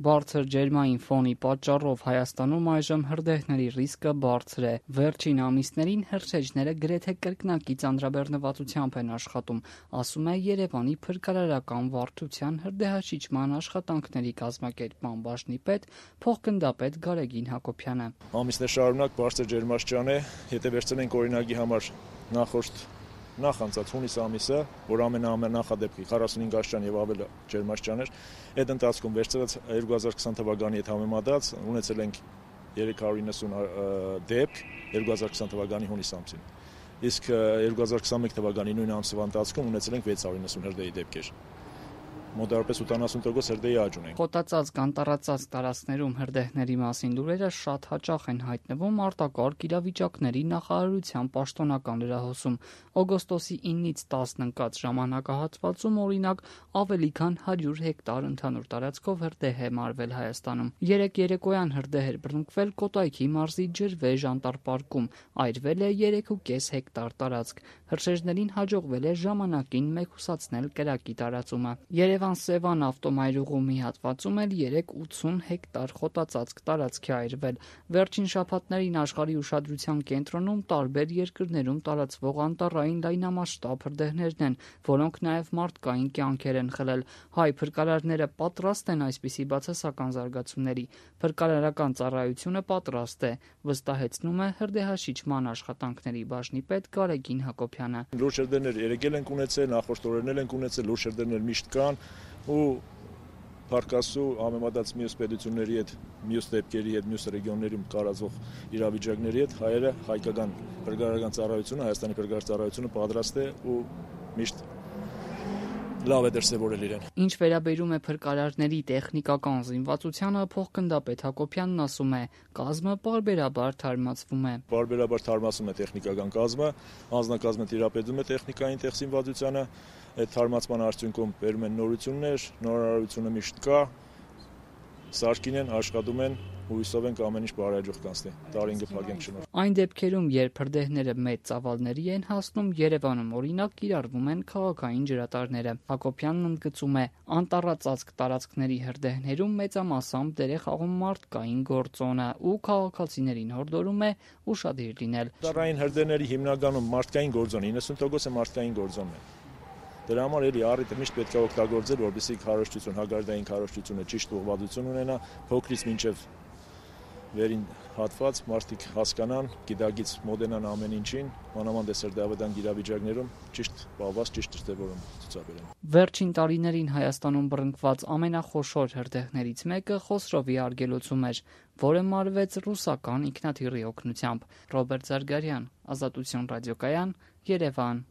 Բարձր ջերմային ֆոնի պատճառով Հայաստանում այժմ հրդեհների ռիսկը բարձր է։ Վերջին ամիսներին հրշեջները գրեթե կրկնակի ծանրաբեռնվածությամբ են աշխատում, ասում է Երևանի փրկարարական վարչության հրդեհաշիջման աշխատանքների կազմակերպման բաժնի պետ, փոխգնդապետ Գարեգին Հակոբյանը։ Ամիսներ շարունակ բարձր ջերմաստիճան է, եթե վերցնենք օրինակի համար նախ անցած հունիս ամիսը, որ ամենանախադեպի 45 աստիճան եւ ավել ջերմաստիճան էր, այդ ընթացքում վերցրած 2020 թվականի հետ համեմատած ունեցել ենք 390 դեպք 2020 թվականի հունիս ամսին։ Իսկ 2021 թվականի նույն ամսվա ընթացքում ունեցել ենք 690 հրդեհի դեպքեր։ Մոտավորապես 80% հրդեհի աճ ունենք։ Խոտածածկ անտառածածկ տարածքներում հրդեհների մասին լուրերը շատ հաճախ են հայտնվում արտակարգ իրավիճակների նախարարության պաշտոնական լրահոսում։ Օգոստոսի 9-ից 10 ընկած ժամանակահատվածում, օրինակ, ավելի քան 100 հեկտար ընդհանուր տարածքով հրդեհ է մարվել Հայաստանում։ 3 երեկոյան հրդեհ էր բռնկվել Կոտայքի մարզի Ջրվեժ անտառպարկում, այրվել է 3.5 հեկտար տարածք։ Հրշեջներին հաջողվել է ժամանակին մեկուսացնել կրակի տարածումը։ Երևան-Սևան ավտոմայրուղու մի հատվածում էլ 3.80 հեկտար խոտածածկ տարածք է այրվել։ Վերջին շաբաթներին աշխարհի ուշադրության կենտրոնում տարբեր երկրներում տարածվող անտառային լայնամասշտաբ հրդեհներն են, որոնք նաև մարդկային կյանքեր են խլել։ Հայ փրկարարները պատրաստ են այսպիսի բացասական զարգացումների։ Փրկարարական ծառայությունը պատրաստ է, վստահեցնում է հրդեհաշիջման աշխատանքների բաժնի պետ Գարեգին Հակոբյանը։ Լուրջ հրդեհներ երեկ ենք ունեցել, նախորդ օրերն ենք ունեցել, լուրջ հրդեհներ միշտ կան ու Փարքասու համեմատած մյուս պետությունների հետ, մյուս դեպքերի հետ, մյուս ռեգիոններում տարածվող իրավիճակների հետ հայկական փրկարարական ծառայությունը, Հայաստանի փրկարար ծառայությունը պատրաստ է ու միշտ լավ է դրսևորել իրեն։ Ինչ վերաբերում է փրկարարների տեխնիկական զինվածությանը, փոխգնդապետ Հակոբյանն ասում է, կազմը պարբերաբար թարմացվում է։ Պարբերաբար թարմացվում է տեխնիկական կազմը, անձնակազմը տիրապետում է տեխնիկային զինվածությանը, այդ թարմացման արդյունքում բերում են նորություններ, նորարարությունը միշտ կա, սարքին են, աշխատում են, հույսով ենք ամեն ինչ բարեհաջող կանցնի, տարին կփակենք շնորհ։ Այն դեպքերում, երբ հրդեհները մեծ ծավալների են հասնում, Երևանում օրինակ կիրառվում են քաղաքային ջրատարները։ Հակոբյանն ընդգծում է, անտառածածկ տարածքների հրդեհներում մեծամասամբ դեր է խաղում մարդկային գործոնը ու քաղաքացիներին հորդորում է ուշադիր լինել։ Տարային հրդեհների հիմնականում մարդկային գործոն 90% է մարդկային գործոնն է։ Դրա համար էլի առիթը միշտ պետք է օգտագործել, որպեսզի քարոզչություն, հագարդային քարոզչությունը ճիշտ ուղղվածություն ունենա, փոքրից մինչև վերին հատված մարդիկ հասկանան, գիտակից մոտենան ամեն ինչին, մանավանդ հրդեհավետան իրավիճակներում ճիշտ պահված, ճիշտ դրսևորում ցուցաբերեն։ Վերջին տարիներին Հայաստանում բռնկված ամենախոշոր հրդեհներից մեկը Խոսրովի արգելոցում էր, որը մարվեց ռուսական ինքնաթիռի օգնությամբ։ Ռոբերտ Զարգարյան, Ազատություն ռադիոկայան, Երևան։